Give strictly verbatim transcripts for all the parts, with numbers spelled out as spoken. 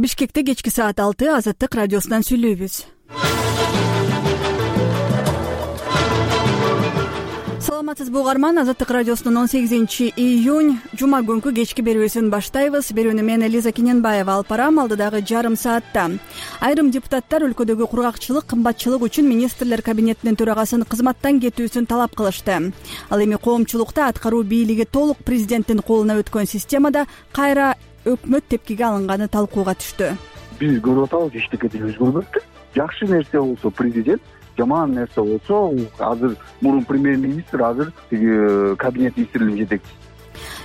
Бишкекте кечки саат алты Азаттык радиосунан сүйлөйбүз. Саламатсызбы угарман, Азаттык радиосунун он сегизинчи июнь жума күнкү кечки берүүсүн баштайбыз. Берүүнү мен Элиза Кененбаева алып барам. Алдыдагы жарым саатта айрым депутаттар өлкөдөгү кургакчылык, кымбатчылык үчүн министрлер кабинетинин төрагасын кызматтан кетүүсүн талап кылышты. Ал эми коомчулукта аткаруу бийлиги толук президенттин колуна өткөн системада кайра өкмөт тепкиге алынганы талкууга түштү. Биз көрүп атабыз, эчтеке өзгөрбөптү. Жакшы нерсе болсо президент, жаман нерсе болсо азыр мурун премьер-министр, азыр тиги кабинет министрлигинин жетекчиси.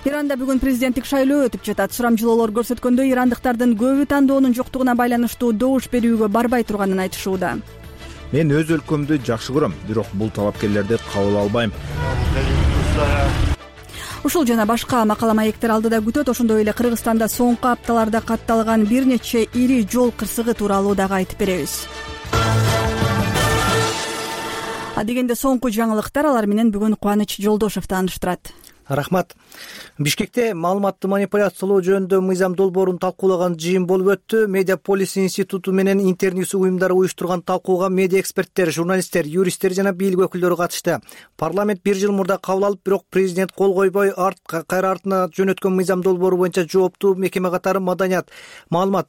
Иранда бүгүн президенттик шайлоо өтүп жатат. Сурамжылоолор көрсөткөндөй, ирандыктардын көбү тандоонун жоктугуна байланыштуу добуш берүүгө барбай турганын айтышууда. Мен өз өлкөмдү жакшы көрөм, бирок бул талапкерлерди кабыл албайм. Ушул жана башка макала маектер алдыда күтөт. Ошондой эле Кыргызстанда соңку апталарда катталган бир нече ири жол кырсыгы тууралуу дагы айтып беребиз. Адегенде соңку жаңылыктар, алар менен бүгүн Кубаныч Жолдошов тааныштырат. Рахмат. Бишкекте маалыматты манипуляциялоо жөнүндө мыйзам долбоорун талкуулаган жыйын болуп өттү. Медиаполис институту менен Интерньюс уюмдары уюштурган талкууга медиа эксперттер, журналисттер, юристтер жана бийлик өкүлдөрү катышты. Парламент бир жыл мурда кабыл алып, бирок президент кол койбой, арт кайра артына жөнөткөн мыйзам долбоору боюнча жооптуу мекеме катары Маданият, маалымат,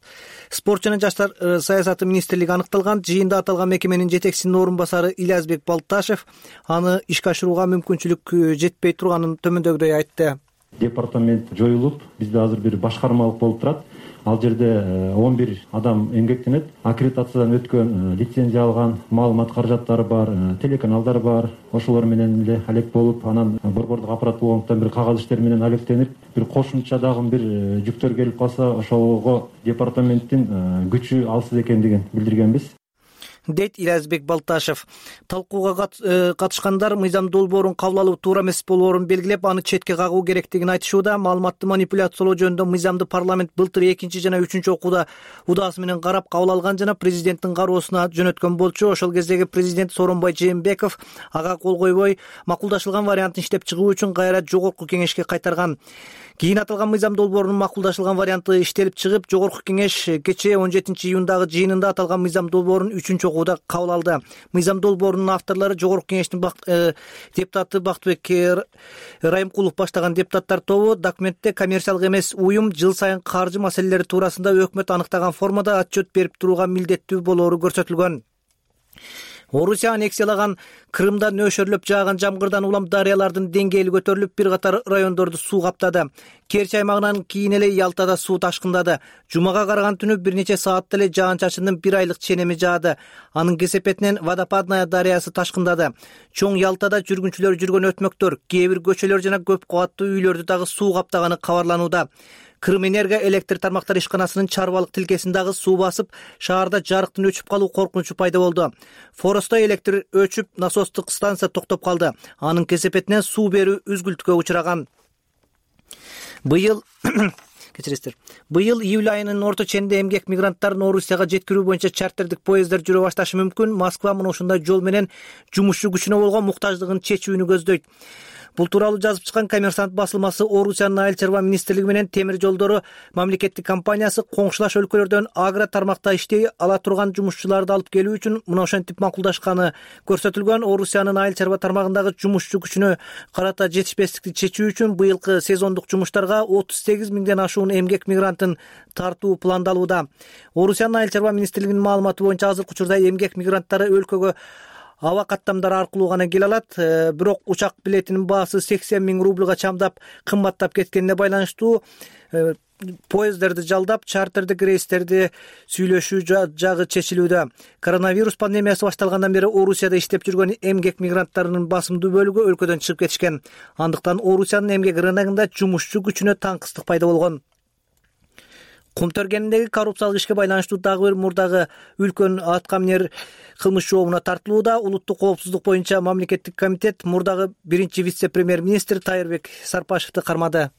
спорт жана жаштар саясаты министрлиги аныкталган. Жыйында аталган мекеменин жетекчисинин орун басары Илязбек Балташев аны ишке ашырууга мүмкүнчүлүк жетпей турганын төмөндөгүдөй айтты. Департамент жоюлуп, бизде азыр бир башкармалык болуп турат. Ал жерде он бир адам эмгектенет. Аккредитациядан өткөн, лицензия алган, маалымат каражаттары бар, телеканалдар бар. Ошолор менен эле алек болуп, анан борбордук аппарат болгондуктан бир кагаз иштер менен алектенип, бир кошумча дагы бир жүктөр келип калса, ошого департаменттин күчү алсыз экендигин билдиргенбиз, дейт Илязбек Балташев. Талкууга катышкандар мыйзам долбоорун кабыл алуу туура эмес болоорун белгилеп, аны четке кагуу керектигин айтышууда. Маалыматты манипуляциялоо жөнүндө мыйзамды парламент былтыр экинчи жана үчүнчү окууда удаасы менен карап кабыл алган жана президенттин кароосуна жөнөткөн болчу. Ошол кездеги президент Сооронбай Жээнбеков ага кол койбой, макулдашылган вариантын иштеп чыгуу үчүн кайра жогорку кеңешке кайтарган. Кийин аталган мыйзам долбоорунун макулдашылган варианты иштелип чыгып, жогорку кеңеш кечээ он жетинчи июндагы жыйынында аталган мыйзам долбоорун үчүнчү окууда кабыл алды. Мыйзам долбоорунун авторлору жогорку кеңештин депутаты Бактыбек Райымкулов баштаган депутаттар тобу. Документте коммерциялык эмес уюм жыл сайын каржы маселелери туурасында өкмөт аныктаган формада отчет берип турууга милдеттүү болоору көрсөтүлгөн. Орусия аннексиялаган Крымда нөшөрлөп жааган жамгырдан улам дарыялардын деңгээли көтөрүлүп, бир катар райондорду суу каптады. Керчи аймагынан кийин эле Ялтада суу ташкындады. Жумага караган түнү бир нече саатта эле жаан-чачындын бир айлык ченеми жаады. Анын кесепетинен Водопадная дарыясы ташкындады. Чоң Ялтада жүргүнчүлөр жүргөн өтмөктөр, кээ бир көчөлөр жана көп кабаттуу үйлөрдү дагы суу каптаганы кабарланууда. Крымэнерго электр тармактар ишканасынын чарбалык тилкесин дагы суу басып, шаарда жарыктын өчүп калуу коркунучу пайда болду. Форосто электр өчүп, насостук станция токтоп калды. Анын кесепетинен суу берүү үзгүлтүккө учураган. Быйыл Кечиресиздер. Быйыл июль айынын орто ченинде эмгек мигранттарын Орусияга жеткирүү боюнча чартердик поезддер жүрө башташы мүмкүн. Москва мына ушундай жол менен жумушчу күчүнө болгон муктаждыгын чечүүнү көздөйт. Бул тууралуу жазып чыккан Коммерсант басылмасы Орусиянын айыл чарба министрлиги менен темир жолдору мамлекеттик компаниясы коңшулаш өлкөлөрдөн агро тармакта иштей ала турган жумушчуларды алып келүү үчүн мына ошентип макулдашканы көрсөтүлгөн. Орусиянын айыл чарба тармагындагы жумушчу күчүнө карата жетишпестикти чечүү үчүн быйылкы сезондук жумуштарга отуз сегиз миңден ашуун эмгек мигрантын тартуу пландалууда. Орусиянын айыл чарба министрлигинин маалыматы боюнча азыркы учурда эмгек мигранттары өлкөгө аба каттамдары аркылуу гана келе алат. Бирок учак билетинин баасы сексен миң рубльга чамдап кымбаттап кеткенине байланыштуу поезддерди жалдап, чартердик рейстерди сүйлөшүү жагы чечилүүдө. Коронавирус пандемиясы башталгандан бери Орусияда иштеп жүргөн эмгек мигранттарынын басымдуу бөлүгү өлкөдөн чыгып кетишкен. Андыктан Орусиянын эмгек рыногунда жумушчу күчүнө таңкыстык пайда болгон. Кумтөргениндеги коррупциялык ишке байланыштуу дагы бир мурдагы үлкөн аткаминер кылмыш жообуна тартылууда. Улуттук коопсуздук боюнча мамлекеттик комитет мурдагы биринчи вице-премьер-министр Тайырбек Сарпашевди кармады.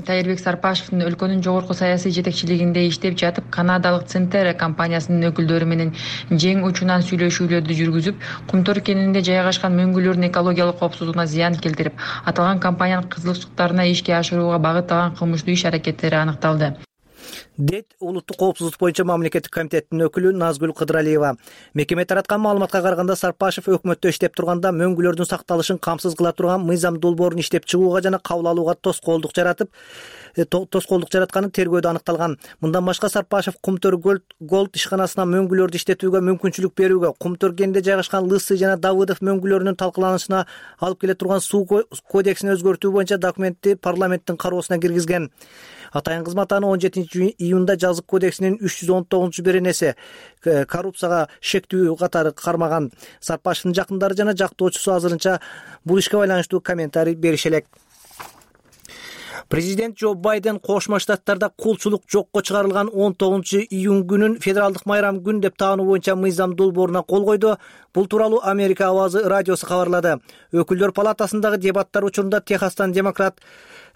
Тайырбек Сарпашевдин өлкөнүн жогорку саясий жетекчилигинде иштеп жатып, канадалык Центер компаниясынын өкүлдөрү менен жең учунан сүйлөшүүлөрдү жүргүзүп, Кумтөр кенинде жайгашкан мөңгүлөрдүн экологиялык коопсуздугуна зыян келтирип, аталган компаниянын кызыкчылыктарына ишке ашырууга багытталган кылмыштуу иш аракеттери аныкталды. дейт улуттук коопсуздук боюнча мамлекеттик комитеттин өкүлү Назгүл Кыдыралиева. Мекеме тараткан маалыматка караганда Сарпашев өкмөттө иштеп турганда мөңгүлөрдүн сакталышын камсыз кыла турган мыйзам долбоорун иштеп чыгууга жана кабыл алууга тоскоолдук жаратып тоскоолдук жаратканы тергөөдө аныкталган. Мындан башка Сарпашев Кумтөр Голд ишканасына мөңгүлөрдү иштетүүгө мүмкүнчүлүк берүүгө, Кумтөр кенинде жайгашкан Лысый жана Давыдов мөңгүлөрүнүн талкаланышына алып келе турган суу кодексин өзгөртүү боюнча документти парламенттин кароосуна киргизген. Атайын кызмат аны он жетинчи июнда жазык кодексинин үч жүз он тогузунчу беренеси коррупцияга шектүү катары кармаган. Сарпашевдин жакындары жана жактоочусу азырынча бул ишке байланыштуу комментарий берише элек. Президент Джо Байден Кошмо Штаттарда кулчулук жокко чыгарылган он тогузунчу июнь күнүн федералдык майрам күн деп таануу боюнча мыйзам долбооруна кол койду. Бул тууралуу Америка Авазы радиосу кабарлады. Өкүлдөр палатасындагы дебаттар учурунда Техастан демократ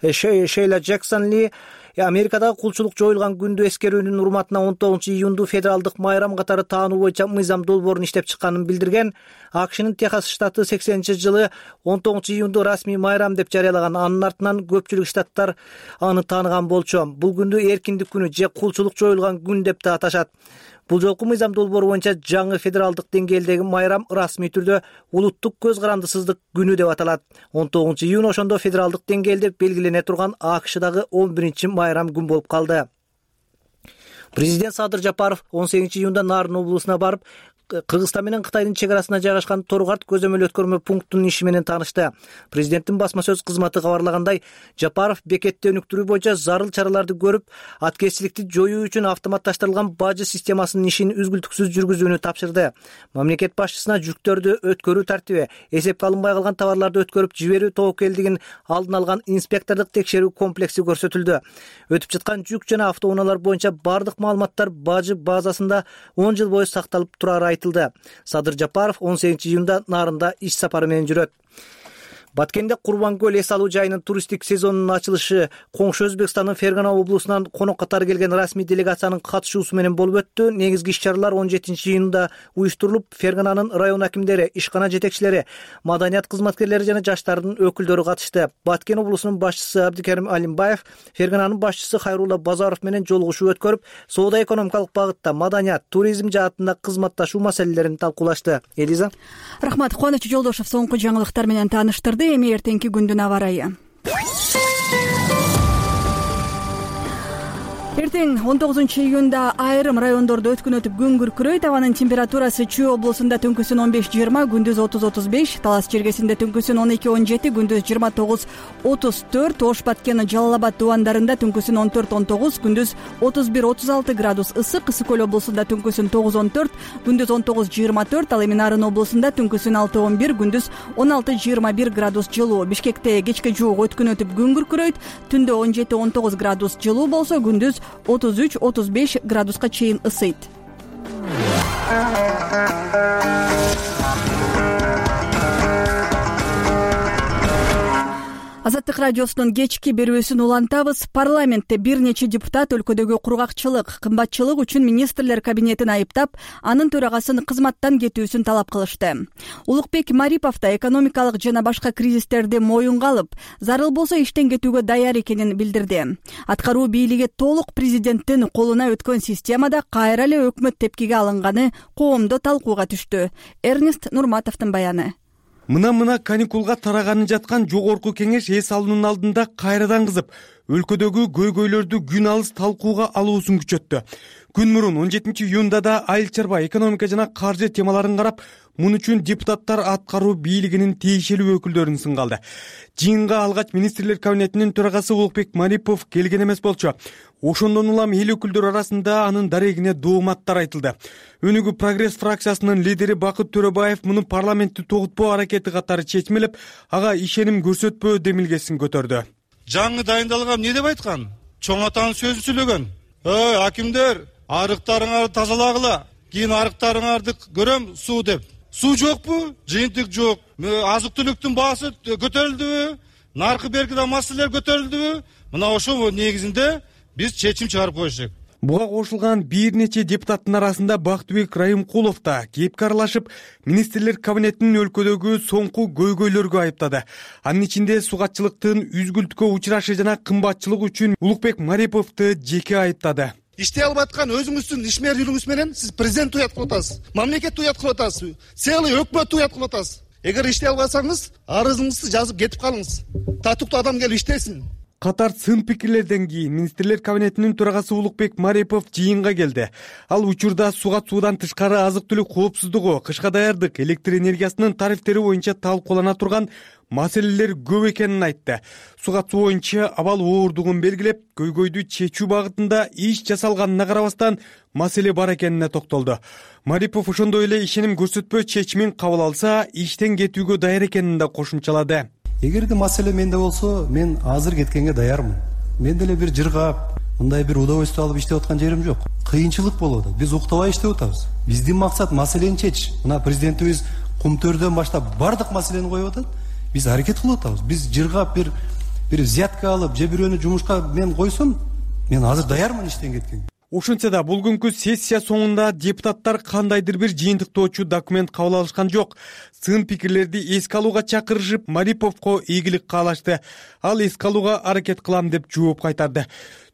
Шейла Джексон Ли Америкадагы кулчулук жоюлган күндү эскерүүнүн урматына он тогузунчу июнду федералдык майрам катары таануу боюнча мыйзам долбоорун иштеп чыкканын билдирген. АКШнын Техас штаты сексенинчи жылы он тогузунчу июнду расмий майрам деп жарыялаган. Анын артынан көпчүлүк штаттар аны тааныган болчу. Бул күндү эркиндик күнү же кулчулук жоюлган күн деп да аташат. Бул жолку мыйзам долбоору боюнча жаңы федералдык деңгээлдеги майрам расмий түрдө улуттук көз карандысыздык күнү деп аталат. он тогузунчу июнь ошондо федералдык деңгээлде белгилене турган АКШдагы он биринчи майрам күн болуп калды. Президент Садыр Жапаров он сегизинчи июнда Нарын облусуна барып, Кыргызстан менен Кытайдын чек арасына жайгашкан Торгарт көзөмөл өткөрмө пунктунун иши менен таанышты. Президенттин басма сөз кызматы кабарлагандай, Жапаров бекетти өнүктүрүү боюнча зарыл чараларды көрүп, аткезчиликти жоюу үчүн автоматташтырылган бажы системасынын ишин үзгүлтүксүз жүргүзүүнү тапшырды. Мамлекет башчысына жүктөрдү өткөрүү тартиби, эсепке алынбай калган товарларды өткөрүп жиберүү тобокелдигин алдын алган инспектордук текшерүү комплекси көрсөтүлдү. Өтүп жаткан жүк жана автоунаалар боюнча бардык маалыматтар бажы базасында он жыл бою сакталып турары айтылды. Садыр Жапаров он сегизинчи июнда Нарында иш сапары менен жүрөт. Баткенде Курбангөл эс алуу жайынын туристтик сезонунун ачылышы коңшу Өзбекстандын Фергана облусунан конок катары келген расмий делегациянын катышуусу менен болуп өттү. Негизги иш-чаралар он жетинчи июнда уюштурулуп, Фергананын район акимдери, ишкана жетекчилери, маданият кызматкерлери жана жаштардын өкүлдөрү катышты. Баткен облусунун башчысы Абдикерим Алимбаев Фергананын башчысы Хайрулла Базаров менен жолугушуу өткөрүп, соода-экономикалык багытта, маданият, туризм жаатында кызматташуу маселелерин талкуулашты. Элиза. Рахмат. Кубаныч Жолдошов соңку жаңылыктар менен тааныштырды. Эми эртеңки күндүн аба ырайы. Эртең он тогузунчу июнда айрым райондордо өткүн өтүп күн күркүрөйт. Абанын температурасы Чүй облусунда түнкүсүн он беш жыйырма, күндүз отуз отуз беш, Талас жергесинде түнкүсүн он эки он жети, күндүз жыйырма тогуз отуз төрт, Ош Баткен Жалал Абад дубандарында түнкүсүн он төрт он тогуз, күндүз отуз бир отуз алты градус ысык, Ысык көл облусунда түнкүсүн тогуз он төрт, күндүз он тогуз жыйырма төрт, ал эми Нарын облусунда түнкүсүн алты он бир, күндүз он алты жыйырма бир градус жылуу. Бишкекте кечке жуук өткүн өтүп күн күркүрөйт, түндө он жети он тогуз градус жылуу болсо, күндүз отуз үч отуз беш градуска чейин ысыйт. Азаттык радиосунун кечки берүүсүн улантабыз. Парламентте бир нече депутат өлкөдөгү кургакчылык, кымбатчылык үчүн министрлер кабинетин айыптап, анын төрагасын кызматтан кетүүсүн талап кылышты. Улукбек Марипов да экономикалык жана башка кризистерди моюнга алып, зарыл болсо иштен кетүүгө даяр экенин билдирди. Аткаруу бийлиги толук президенттин колуна өткөн системада кайра эле өкмөт тепкиге алынганы коомдо талкууга түштү. Эрнест Нурматовдун баяны. Мына-мына каникулга тараганын жаткан жогорку кеңеш эс алуунун алдында кайрадан кызып, өлкөдөгү көйгөйлөрдү күн алыс талкууга алуусун күчөттү. Күн мурун он жетинчи июнда да айыл чарба, экономика жана каржы темаларын карап, мун үчүн депутаттар аткаруу бийлигинин тиешелүү өкүлдөрүн сынгалды. Жыйынга алгач министрлер кабинетинин төрагасы Улукбек Марипов келген эмес болчу. Ошондон улам эл өкүлдөрү арасында анын дарегине дооматтар айтылды. Өнүгүү прогресс фракциясынын лидери Бакыт Төрөбаев муну парламентти тогутпоо аракети катары чечмелеп, ага ишеним көрсөтпөө демилгесин көтөрдү. Жаңы дайындалган эмне деп айткан? Чоң атанын сөзүн сүйлөгөн. Ой, акимдер, арыктарыңарды тазалагыла, кийин арыктарыңарды көрөм суу деп. Суу жокпу? Жыйынтык жок. Азык түлүктүн баасы көтөрүлдүбү? Наркы бергиде маселелер көтөрүлдүбү? Мына ошол негизинде биз чечим чыгарып коюшек. Буга кошулган бир нече депутаттын арасында Бактыбек Райымкулов да кепке аралашып, министрлер кабинетинин өлкөдөгү соңку көйгөйлөргө айыптады. Анын ичинде сугатчылыктын үзгүлтүккө учурашы жана кымбатчылык үчүн Улукбек Мариповду жеке айыптады. иштей албай аткан өзүңүздүн ишмерлигиңиз менен сиз президентти уят кылып атасыз, мамлекетти уят кылып атасыз, целый өкмөттү уят кылып атасыз. Эгер иштей албасаңыз, арызыңызды жазып кетип калыңыз. Татыктуу адам келип иштесин. Катар сын пикирлерден кийин министрлер кабинетинин төрагасы Улукбек Марипов жыйынга келди. Ал учурда суга суудан тышкары азык-түлүк коопсуздугу, кышка даярдык, электр энергиясынын тарифтери боюнча талкуулана турган маселелер көп экенин айтты. Суга суу боюнча абал оордугун белгилеп, көйгөйдү чечүү багытында иш жасалганына карабастан маселе бар экенине токтолду. Марипов ошондой эле ишеним көрсөтпөө чечимин кабыл алса, иштен кетүүгө даяр экенин да кошумчалады. Эгерде маселе менде болсо, мен азыр кеткенге даярмын. Мен деле бир жыргап, мындай бир удовольствие алып иштеп аткан жерим жок. Кыйынчылык болуп атат. Биз уктабай иштеп атабыз. Биздин максат маселени чечиш. Мына президентибиз Кумтөрдөн баштап бардык маселени коюп атат. Биз аракет кылып атабыз. Биз жыргап бир бир взятка алып, же бирөөнү жумушка мен койсом, мен азыр даярмын иштен кеткенге. Ошентсе да бул күнкү сессия соңунда депутаттар кандайдыр бир жыйынтыктоочу документ кабыл алышкан жок. Сын пикирлерди эске алууга чакырышып, Мариповго ийгилик каалашты. Ал эске алууга аракет кылам деп жооп кайтарды.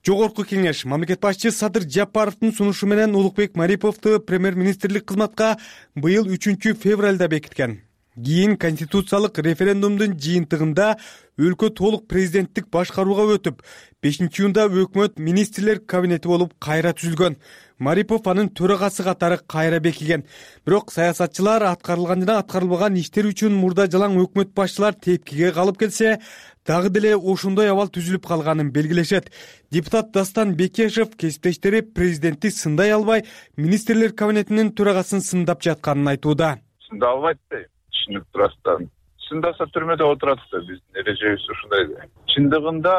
Жогорку кеңеш мамлекет башчы Садыр Жапаровдун сунушу менен Улукбек Мариповду премьер-министрлик кызматка быйыл үчүнчү февралда бекиткен. Кийин конституциялык референдумдун жыйынтыгында өлкө толук президенттик башкарууга өтүп, бешинчи июнда өкмөт министрлер кабинети болуп кайра түзүлгөн. Марипов анын төрагасы катары кайра бекиген. Бирок саясатчылар аткарылган жана аткарылбаган иштер үчүн мурда жалаң өкмөт башчылар тепкиге калып келсе, дагы деле ошондой абал түзүлүп калганын белгилешет. Депутат Дастан Бекешев кесиптештери президентти сындай албай, министрлер кабинетинин төрагасын сындап жатканын айтууда. Сында албайт дейм. Түшүнүп турасыздар. Сындаса түрмөдө отурат да, биздин эрежебиз ушундай да. Чындыгында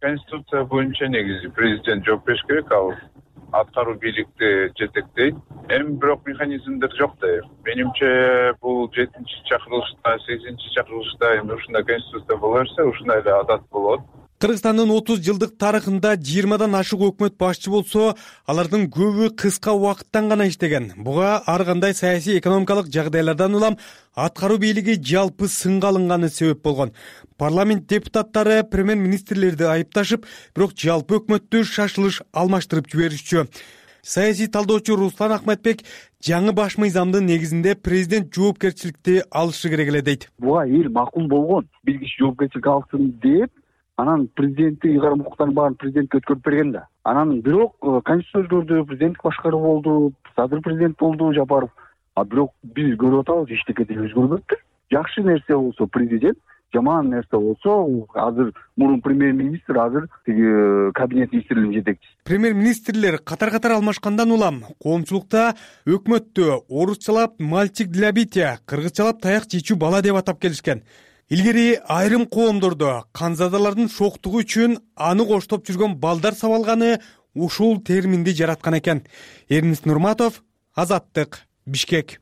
конституция боюнча негизи президент жооп бериш керек, ал аткаруу бийликти жетектейт. Эми бирок механизмдер жок да. Менимче бул жетинчи чакырылышта, сегизинчи чакырылышта эми ушундай конституция боло берсе, ушундай эле адат болот. Кыргызстандын отуз жылдык тарыхында жыйырмадан ашык өкмөт башчы болсо, алардын көбү кыска убакыттан гана иштеген. Буга ар кандай саясий экономикалык жагдайлардан улам аткаруу бийлиги жалпы сынга алынганы себеп болгон. Парламент депутаттары премьер-министрлерди айыпташып, бирок жалпы өкмөттү шашылыш алмаштырып жиберишчү. Саясий талдоочу Руслан Ахметбек жаңы баш мыйзамдын негизинде президент жоопкерчиликти алышы керек эле дейт. Буга эл макул болгон. Бир киши жоопкерчилик алсын деп, анан президенттик ыйгарым укуктарын баарын президентке өткөрүп берген да. Анан бирок конституция өзгөрдү, президенттик башкаруу болду, Садыр президент болду Жапаров. А бирок биз көрүп атабыз, эчтеке да өзгөрбөптүр. Жакшы нерсе болсо президент, жаман нерсе болсо азыр мурун премьер-министр, азыр тиги кабинет министрлигинин жетекчиси. Премьер-министрлер катар-катар алмашкандан улам коомчулукта өкмөттү орусчалап мальчик для бития, кыргызчалап таяк чечүү бала деп атап келишкен. Илгери айрым коомдордо канзадалардын шоктугу үчүн аны коштоп жүргөн балдар сабалганы ушул терминди жараткан экен. Эрнис Нурматов, Азаттык, Бишкек.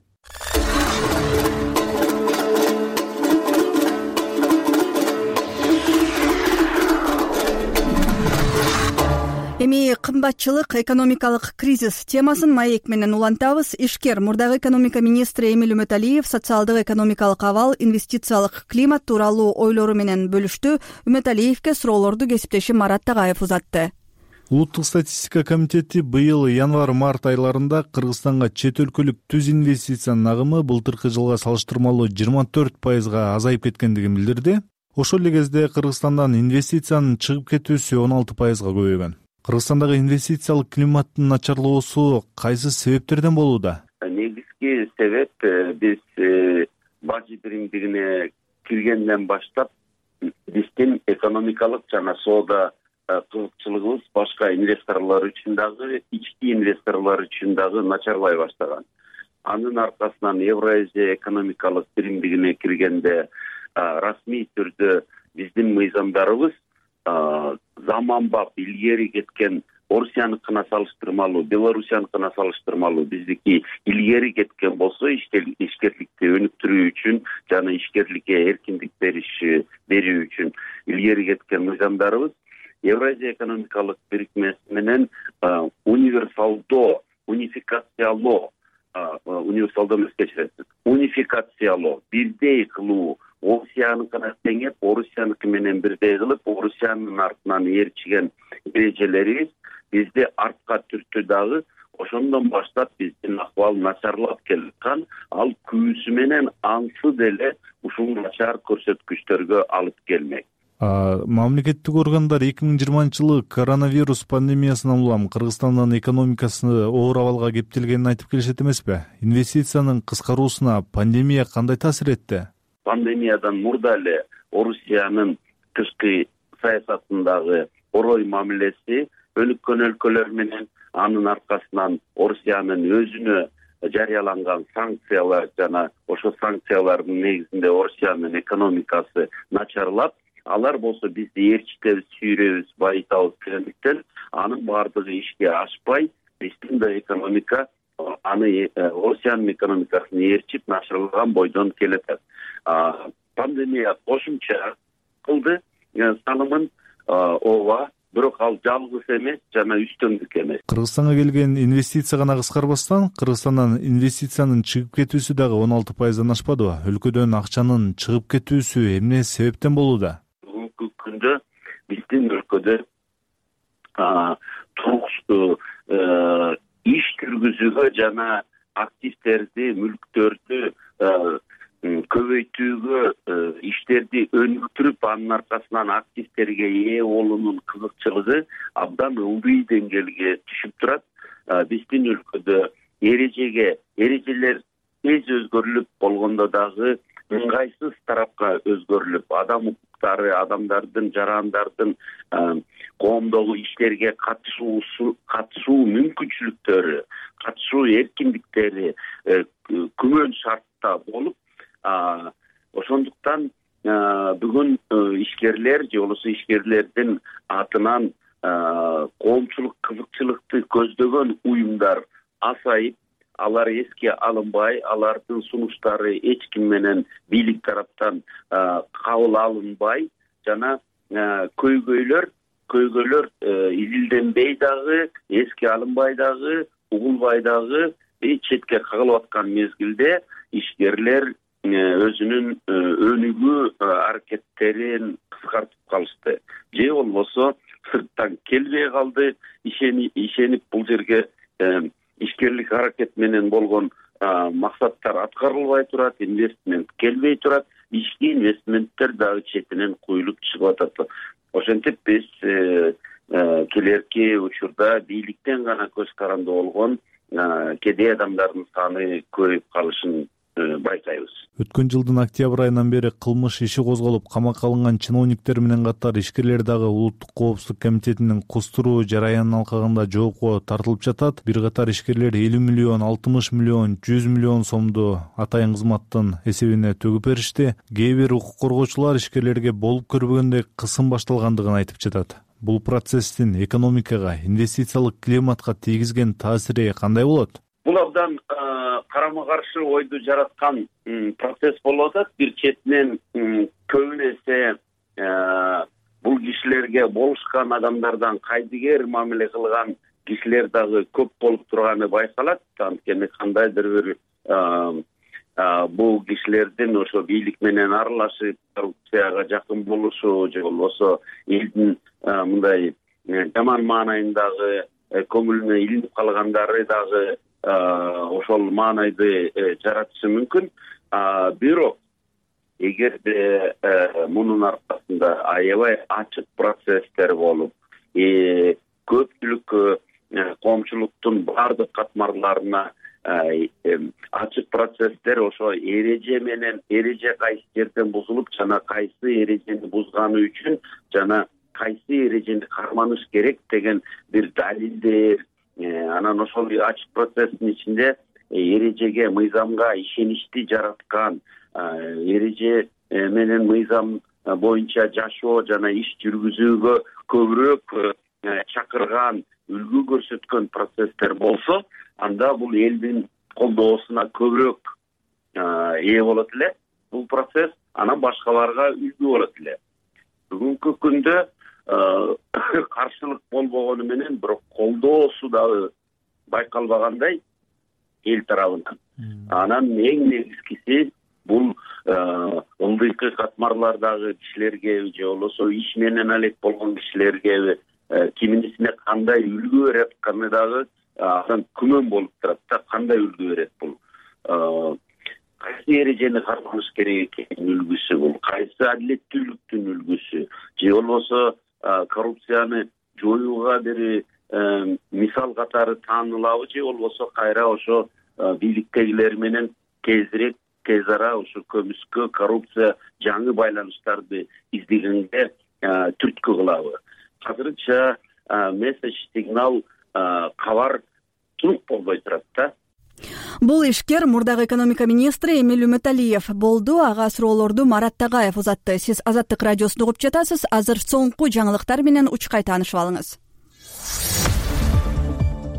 Эми кымбатчылык, экономикалык кризис темасын маек менен улантабыз. Ишкер мурдагы экономика министри Эмиль Үмөталиев социалдык экономикалык абал, инвестициялык климат тууралуу ойлору менен бөлүштү. Үмөталиевке суроолорду кесиптеши Марат Тагаев узатты. Улуттук статистика комитети быйыл январь-март айларында Кыргызстанга чет өлкөлүк түз инвестициянын агымы былтыркы жылга салыштырмалуу жыйырма төрт пайызга азайып кеткендигин билдирди. Ошол эле кезде Кыргызстандан инвестициянын чыгып кетүүсү он алты пайызга көбөйгөн. Кыргызстандагы инвестициялык климаттын начарлоосу кайсы себептерден болууда? Негизги себеп биз бажы биримдигине киргенден баштап биздин экономикалык жана соода кызыкчылыгыбыз башка инвесторлор үчүн дагы, ички инвесторлор үчүн дагы начарлай баштаган. Анын аркасынан Евразия экономикалык биримдигине киргенде расмий түрдө биздин мыйзамдарыбыз заманбап илгери кеткен Орусияныкына салыштырмалуу, Белоруссияныкына салыштырмалуу биздики илгери кеткен болсо, ишкерликти өнүктүрүү үчүн жана ишкерликке эркиндик бериш берүү үчүн илгери кеткен мыйзамдарыбыз Евразия экономикалык бирикмеси менен универсалдоо, унификациялоо, универсалдоо эмес кечиресиз, унификациялоо, бирдей кылуу Орусияныкына теңеп, Орусияныкы менен бирдей кылып, Орусиянын артынан ээрчиген эрежелерибиз бизди артка түрттү дагы. Ошондон баштап биздин акыбал начарлап келаткан, ал күбүсү менен ансы деле ушул начар көрсөткүчтөргө алып келмек. Мамлекеттик органдар эки миң жыйырманчы жылы коронавирус пандемиясынан улам Кыргызстандын экономикасы оор абалга кептелгенин айтып келишет эмеспи? Инвестициянын кыскаруусуна пандемия кандай таасир этти? Пандемиядан мурда эле Орусиянын тышкы саясатындагы орой мамилеси өнүккөн өлкөлөр менен, анын аркасынан Орусиянын өзүнө жарыяланган санкциялар жана ошо санкциялардын негизинде Орусиянын экономикасы начарлап, алар болсо бизди ээрчитебиз, сүйрөбүз, байытабыз дегендиктен анын баардыгы ишке ашпай, биздин да экономика аны Орусиянын экономикасын ээрчип начарлаган бойдон келатат. Пандемия кошумча кылды салымын, ооба, бирок ал жалгыз эмес жана үстөмдүк эмес. Кыргызстанга келген инвестиция гана кыскарбастан, Кыргызстандан инвестициянын чыгып кетүүсү дагы он алты пайыздан ашпадыбы? Өлкөдөн акчанын чыгып кетүүсү эмне себептен болууда? Бүгүнкү күндө биздин өлкөдө туруксуу иш жүргүзүүгө жана активдерди, мүлктөрдү көбөйтүүгө, иштерди өнүктүрүп, анын аркасынан активдерге ээ болуунун кызыкчылыгы абдан ылдый деңгээлге түшүп турат. Биздин өлкөдө эрежеге эрежелер тез өзгөрүлүп болгондо дагы ыңгайсыз тарапка өзгөрүлүп, адам укуктары, адамдардын, жарандардын коомдогу иштерге катышуу катышуу мүмкүнчүлүктөрү, катышуу эркиндиктери күмөн шартта болуп, ошондуктан бүгүн ишкерлер же болбосо ишкерлердин атынан коомчулук кызыкчылыкты көздөгөн уюмдар азайып, алар эске алынбай, алардын сунуштары эч ким менен бийлик тараптан кабыл алынбай жана көйгөйлөр көйгөйлөр изилденбей дагы, эске алынбай дагы, угулбай дагы четке кагылып аткан мезгилде ишкерлер өзүнүн өнүгүү аракеттерин кыскартып калышты. Же болбосо сырттан келбей калды, ишенип бул жерге ишкерлик аракет менен болгон максаттар аткарылбай турат, инвестмент келбей турат, ички инвестменттер дагы четинен куюлуп чыгып атат. Ошентип биз келерки учурда бийликтен гана көз каранды болгон кедей адамдардын саны көбөйүп калышын байкайбыз. Өткөн жылдын октябрь айынан бери кылмыш иши козголуп, камакка алынган чиновниктер менен катар ишкерлер дагы Улуттук коопсуздук комитетинин кустуруу жараянын алкагында жоопко тартылып жатат. Бир катар ишкерлер элүү миллион, алтымыш миллион, жүз миллион сомду атайын кызматтын эсебине төгүп беришти. Кээ бир укук коргоочулар ишкерлерге болуп көрбөгөндөй кысым башталгандыгын айтып жатат. Бул процесстин экономикага, инвестициялык климатка тийгизген таасири кандай болот? Бул абдан карама-каршы ойду жараткан процесс болуп атат. Бир четинен көбүнесе бул кишилерге болушкан адамдардан кайдыгер мамиле кылган кишилер дагы көп болуп турганы байкалат. Анткени кандайдыр бир бул кишилердин ошо бийлик менен аралашып, коррупцияга жакын болушу же болбосо элдин мындай жаман маанайындагы көңүлүнө илинип калгандары дагы ошол маанайды жаратышы мүмкүн. Бирок эгерде мунун аркасында аябай ачык процесстер болуп, көпчүлүк коомчулуктун баардык катмарларына ачык процесстер ошо эреже менен эреже кайсы жерден бузулуп жана кайсы эрежени бузганы үчүн жана кайсы эрежени карманыш керек деген бир далилдер, анан ошол ачык процесстин ичинде эрежеге, мыйзамга ишеничти жараткан, эреже менен мыйзам боюнча жашоо жана иш жүргүзүүгө көбүрөөк чакырган, үлгү көрсөткөн процесстер болсо, анда бул элдин колдоосуна көбүрөөк ээ болот эле. Бул процесс анан башкаларга үлгү болот эле. Бүгүнкү күндө каршылык болбогону менен бирок колдоосу дагы байкалбагандай эл тарабынан. Анан эң негизгиси бул ылдыйкы катмарлардагы кишилергеби же болбосо иш менен алек болгон кишилергеби кимисине кандай үлгү берет атканы дагы адам күмөн болуп турат да. Кандай үлгү берет бул, кайсы эрежени кармаш керек экенин үлгүсү бул, кайсы адилеттүүлүктүн үлгүсү же болбосо коррупцияны жоюуга бир мисал катары таанылабы же болбосо кайра ошо бийликтегилер менен тезирээк тез ара ошо көмүскө коррупция жаңы байланыштарды издегенге түрткү кылабы. Азырынча месседж, сигнал, кабар турук болбой турат да. Бул ишкер мурдагы экономика министри Эмиль Үмөталиев болду. Ага суроолорду Марат Тагаев узатты. Сиз Азаттык радиосун угуп жатасыз. Азыр соңку жаңылыктар менен учкай таанышып алыңыз.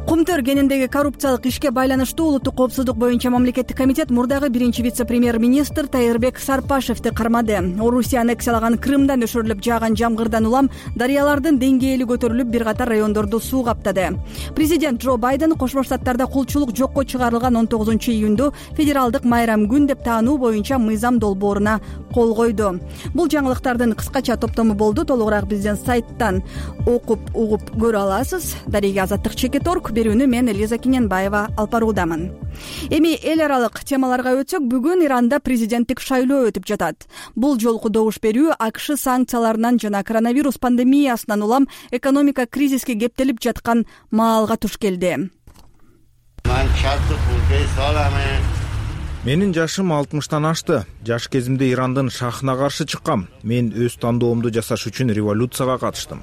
Кумтөр кенендеги коррупциялык ишке байланыштуу улуттук коопсуздук боюнча мамлекеттик комитет мурдагы биринчи вице-премьер-министр Тайырбек Сарпашевди кармады. Орусия аннексиялаган Крымдан өшөрүлүп жааган жамгырдан улам дарыялардын деңгээли көтөрүлүп, бир катар райондорду суу каптады. Президент Джо Байден Кошмо Штаттарда кулчулук жокко чыгарылган он тогузунчу июнду федералдык майрам күн деп таануу боюнча мыйзам долбооруна кол койду. Бул жаңылыктардын кыскача топтому болду. Толугураак биздин сайттан окуп угуп көрө аласыз. Дареге Азаттык чекит орг. Берүүнү мен Лиза Киненбаева алып баруудамын. Эми эл аралык темаларга өтсөк, бүгүн Иранда президенттик шайлоо өтүп жатат. Бул жолку добуш берүү АКШ санкцияларынан жана коронавирус пандемиясынан улам экономика кризиске кептелип жаткан маалга туш келди. Менин жашым алтымыштан ашты. Жаш кезимде Ирандын шахына каршы чыккам. Мен өз тандоомду жасаш үчүн революцияга катыштым.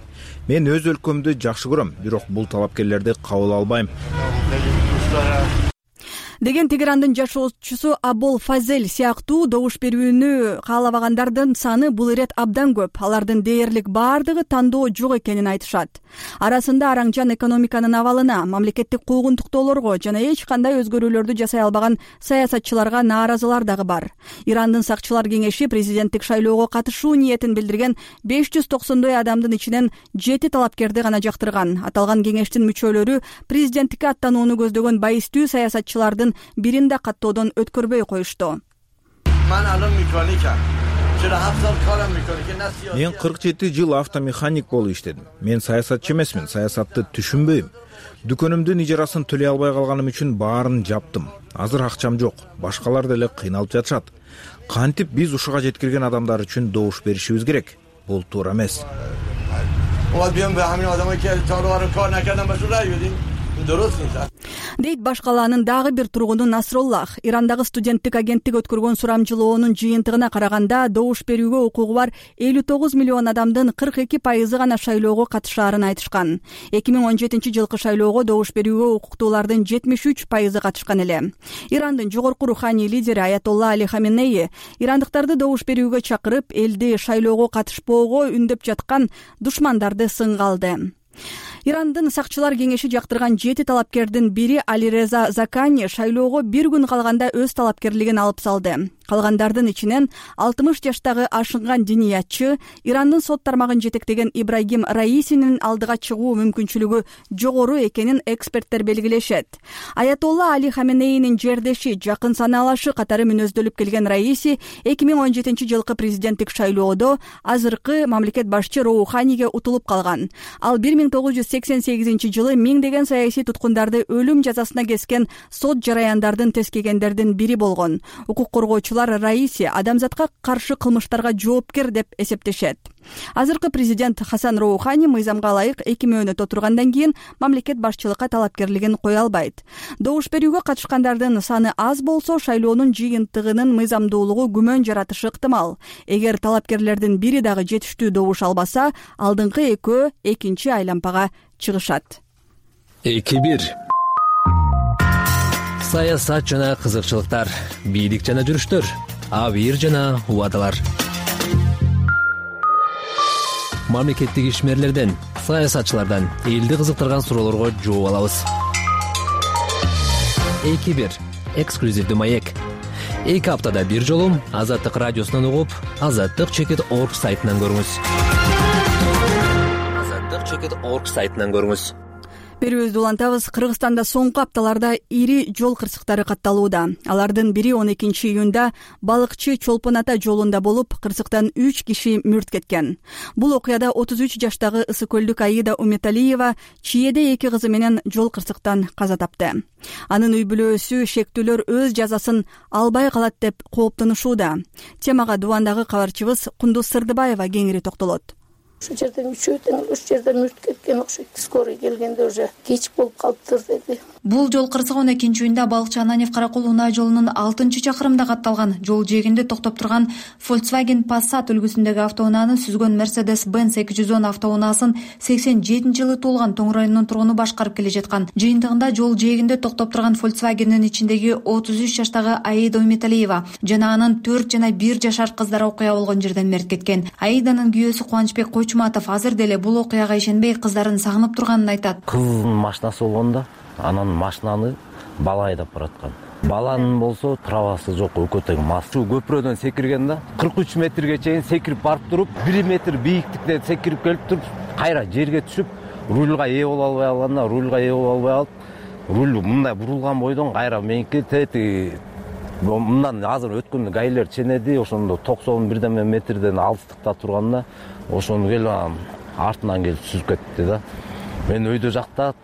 Мен өз өлкөмдү жакшы көрөм, бирок бул талапкерлерди кабыл албайм деген Тегерандын жашоочусу Абол Фазел сыяктуу добуш берүүнү каалабагандардын саны бул ирет абдан көп. Алардын дээрлик баардыгы тандоо жок экенин айтышат. Арасында араңжан экономиканын абалына, мамлекеттик куугунтуктоолорго жана эч кандай өзгөрүүлөрдү жасай албаган саясатчыларга нааразылар дагы бар. Ирандын сакчылар кеңеши президенттик шайлоого катышуу ниетин билдирген беш жүз токсондой адамдын ичинен жети талапкерди гана жактырган. Аталган кеңештин мүчөлөрү президенттикке аттанууну көздөгөн байыстуу саясатчылардын бирин да каттоодон өткөрбөй коюшту. Мен кырк жети жыл автомеханик болуп иштедим. Мен саясатчы эмесмин, саясатты түшүнбөйм. Дүкөнүмдүн ижарасын төлөй албай калганым үчүн баарын жаптым. Азыр акчам жок, башкалар деле кыйналып жатышат. Кантип биз ушуга жеткирген адамдар үчүн добуш беришибиз керек? Бул туура эмес. Дейт баш калаанын дагы бир тургуну Насроллах. Ирандагы студенттик агенттик өткөргөн сурамжылоонун жыйынтыгына караганда добуш берүүгө укугу бар элүү тогуз миллион адамдын кырк эки пайызы гана шайлоого катышаарын айтышкан. эки миң он жетинчи жылкы шайлоого добуш берүүгө укуктуулардын жетимиш үч пайызы катышкан эле. Ирандын жогорку руханий лидери Аятолла Али Хаменеи ирандыктарды добуш берүүгө чакырып, элди шайлоого катышпоого үндөп жаткан душмандарды сынга алды. Ирандын сакчылар кеңеши жактырган жети талапкердин бири Алиреза Закани шайлоого бир күн калганда өз талапкерлигин алып салды. Калгандардын ичинен алтымыш жаштагы ашынган диниятчы, Ирандын сот тармагын жетектеген Ибрагим Раисинин алдыга чыгуу мүмкүнчүлүгү жогору экенин эксперттер белгилешет. Аятолла Али Хаменеинин жердеши, жакын санаалашы катары мүнөздөлүп келген Раиси эки миң он жетинчи жылкы президенттик шайлоодо азыркы мамлекет башчы Роуханиге утулуп калган. Ал бир миң тогуз жүз сексен сегизинчи жылы миңдеген саясий туткундарды өлүм жазасына кескен сот жараяндардын тескегендердин бири болгон. Укук коргоочулар Раиси адамзатка каршы кылмыштарга жоопкер деп эсептешет. Азыркы президент Хасан Роухани мыйзамга ылайык эки мөөнөт отургандан кийин мамлекет башчылыкка талапкерлигин кое албайт. Добуш берүүгө катышкандардын саны аз болсо, шайлоонун жыйынтыгынын мыйзамдуулугу күмөн жаратышы ыктымал. Эгер талапкерлердин бири дагы жетиштүү добуш албаса, алдыңкы экөө экинчи айлампага чыгышат. эки бир саясат жана кызыкчылыктар, бийлик жана жүрүштөр, абийир жана убадалар. Мамлекеттик ишмерлерден, саясатчылардан элди кызыктырган суроолорго жооп алабыз. эки бир эксклюзивдүү маек. эки аптада бир жолу Азаттык радиосунан угуп, азаттык чекит орг сайтынан көрүңүз. азаттык чекит орг сайтынан көрүңүз. берүүбүздү улантабыз. Кыргызстанда соңку апталарда ири жол кырсыктары катталууда. Алардын бири он экинчи июнда балыкчы Чолпон ата жолунда болуп, кырсыктан үч киши мүрт кеткен. Бул окуяда отуз үч жаштагы Ысык көлдүк Аида Уметалиева чиеде эки кызы менен жол кырсыктан каза тапты. Анын үй бүлөсү шектүүлөр өз жазасын албай калат деп кооптонушууда. Темага Дубандагы кабарчыбыз Кундуз Сырдыбаева кеңири токтолот. Ушул жерден үчөөтөн ушул жерде мүрт кеткен окшойт. Скорый келгенде уже кеч болуп калыптыр деди. Бул жол кырсыгы он экинчи июнда Балыкчы Ананев Каракол унаа жолунун алтынчы чакырымында катталган. Жол жээгинде токтоп турган Volkswagen Passat үлгүсүндөгү автоунааны сүзгөн Mercedes-Benz эки жүз он автоунаасын сексен жетинчи жылы туулган Тоң районунун тургуну башкарып келе жаткан. Жыйынтыгында жол жээгинде токтоп турган Volkswagen'дин ичиндеги отуз үч жаштагы Аида Уметалиева жана анын төрт жана бир жашар кыздары окуя болгон жерден мерт кеткен. Аиданын күйөөсү Кубанычбек Койчуматов азыр деле бул окуяга ишенбей кыздарын сагынып турганын айтат. Кыздын машинасы болгондо анан машинаны бала айдап бараткан. Баланын болсо правасы жок, өкө тең мас. Шу көпүрөдөн секирген да кырк үч метрге чейин секирип барып туруп, бир метр бийиктиктен секирип келип туруп, кайра жерге түшүп, рульга ээ боло албай алганда, рульга ээ боло албай алып, руль мындай бурулган бойдон кайра меники тети мындан азыр өткөндө гайлер ченеди, ошондо токсон бирдеме метрден алыстыкта турганда, ошону келип артынан келип сүзүп кетти да. Мен өйдө жакта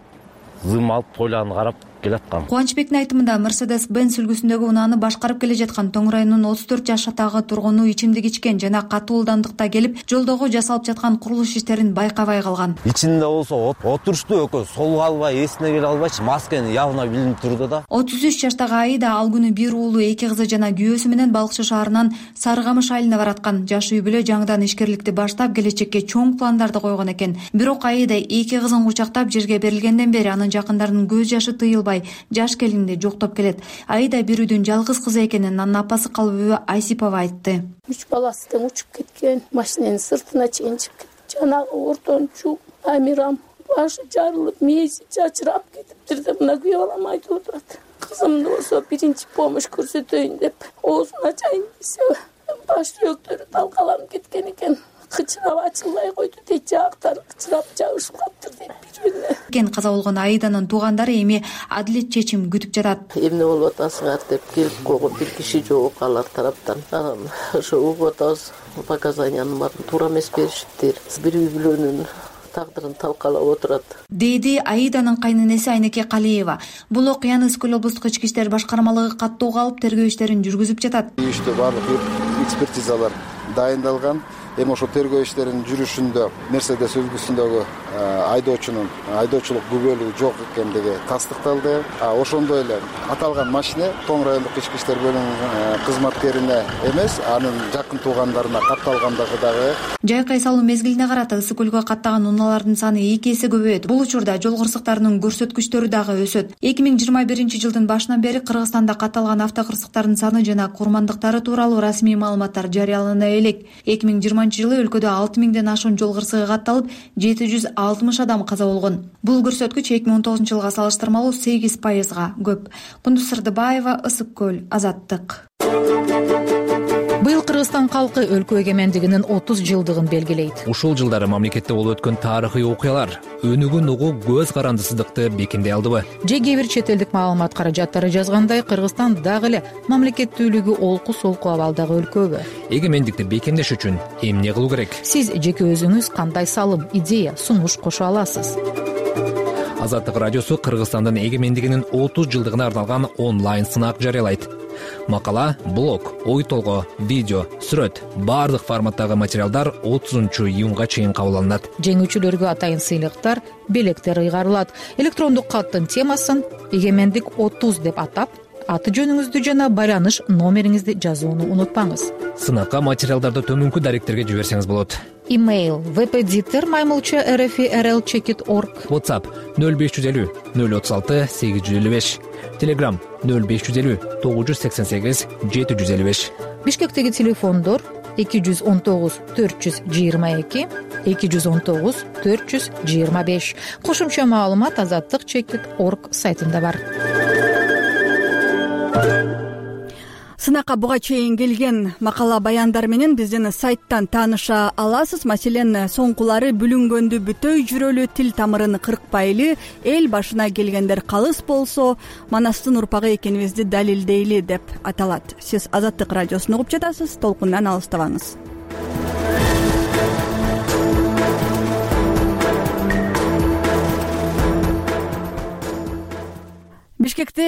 зым алып пойланы карап келаткам. Кубанычбектин айтымында Mercedes-Benz үлгүсүндөгү унааны башкарып келе жаткан Тоң районунун отуз төрт жаштагы тургуну ичимдик ичкен жана катуу ылдамдыкта келип, жолдогу жасалып жаткан курулуш иштерин байкабай калган. Ичинде болсо отурушту өкө солго албай, эсине келе албайчы, маскени явно билинип турду да. отуз үч жаштагы Аида ал күнү бир уулу, эки кызы жана күйөөсү менен Балыкчы шаарынан Сарыкамыш айылына бараткан. Жаш үй бүлө жаңыдан ишкерликти баштап, келечекке чоң пландарды койгон экен. Бирок Аида эки кызын кучактап жерге берилгенден бери анын жакындарынын көз жашы тыйылбай, жаш келинди жоктоп келет. Аида бир үйдүн жалгыз кызы экенин анын апасы Калыбүбү Айсипова айтты. Үч баласы тең учуп кеткен, машинанын сыртына чейин чыгып кетти. Жанагы ортончу Амирам башы жарылып, мээси чачырап кетиптир деп мына күйөө балам айтып отурат. Кызымды болсо биринчи помощь көрсөтөйүн деп оозун ачайын десе, баш сүйөктөрү талкаланып кеткен экен. Кычырап ачылбай койду дейт, жаактан кычырап жабышып калыптыр дейт бири-бирине. Кен каза болгон Аиданын туугандары эми адилет чечим күтүп жатат. Эмне болуп атасыңар деп келип койгон бир киши жок алар тараптан. Анан ошо угуп атабыз, показаниянын баарын туура эмес беришиптир. Бир үй бүлөнүн тагдырын талкалап отурат, деди Аиданын кайненеси Айнеке Калиева. Бул окуяны Ысык көл облустук ички иштер башкармалыгы каттоого алып тергөө иштерин жүргүзүп жатат. Иште баардык экспертизалар дайындалган. Эми ошо тергөө иштеринин жүрүшүндө Мерседес үлгүсүндөгү айдоочунун айдоочулук күбөлүгү жок экендиги тастыкталды. Ошондой эле аталган машина Тоң райондук ички иштер бөлүмүнүн кызматкерине эмес, анын жакын туугандарына катталгандыгы дагы. Жайкай салуу мезгилине карата Ысык көлгө каттаган унаалардын саны эки эсе көбөйөт. Бул учурда жол кырсыктарынын көрсөткүчтөрү дагы өсөт. эки миң жыйырма биринчи жылдын башынан бери Кыргызстанда катталган автокырсыктардын саны жана курмандыктары тууралуу расмий маалыматтар жарыялана элек. эки миң жыйырманчы жылы өлкөдө алты миңден ашуун жол кырсыгы катталып, жети жүз алтымыш адам каза болгон. Бул көрсөткүч эки миң он тогузунчу жылга салыштырмалуу сегиз пайызга көп. Кундуз Сырдыбаева, Ысык көл, Азаттык. Быйыл Кыргызстан калкы өлкө эгемендигинин отуз жылдыгын белгилейт. Ушул жылдары мамлекетте болуп өткөн тарыхый окуялар өнүгүн угуу көз карандысыздыкты бекемдей алдыбы? Же кээ бир чет элдик маалымат каражаттары жазгандай, Кыргызстан дагы эле мамлекеттүүлүгү олку-солку абалдагы өлкөбү? Эгемендикти бекемдеш үчүн эмне кылуу керек? Сиз жеке өзүңүз кандай салым, идея, сунуш кошо аласыз? Азаттык радиосу Кыргызстандын эгемендигинин отуз жылдыгына арналган онлайн сынак жарыялайт. Макала, блог, ой толгоо, видео, сүрөт, баардык форматтагы материалдар отузунчу июнга чейин кабыл алынат. Жеңүүчүлөргө атайын сыйлыктар, белектер ыйгарылат. Электрондук каттын темасын эгемендик отуз деп атап, аты жөнүңүздү жана байланыш номериңизди жазууну унутпаңыз. Сынакка материалдарды төмөнкү даректерге жиберсеңиз болот. Имейл впдитер маймылча rfrl чекит точка орг. WhatsApp нөл беш жүз элүү нөл отуз алты сегиз жүз элүү беш. Telegram нөл беш жүз элүү тогуз жүз сексен сегиз жети жүз элүү беш. Бишкектеги телефондор эки жүз он тогуз төрт жүз жыйырма эки эки жүз он тогуз төрт жүз жыйырма беш. Кошумча маалымат азаттык чекит точка орг сайтында бар. сынакка буга чейин келген макала баяндар менен биздин сайттан тааныша аласыз. Маселен, соңкулары бүлүнгөндү бүтөй жүрөлү, тил тамырын кыркпайлы, эл башына келгендер калыс болсо Манастын урпагы экенибизди далилдейли деп аталат. Сиз Азаттык радиосун угуп жатасыз, толкундан алыстабаңыз. Бишкекте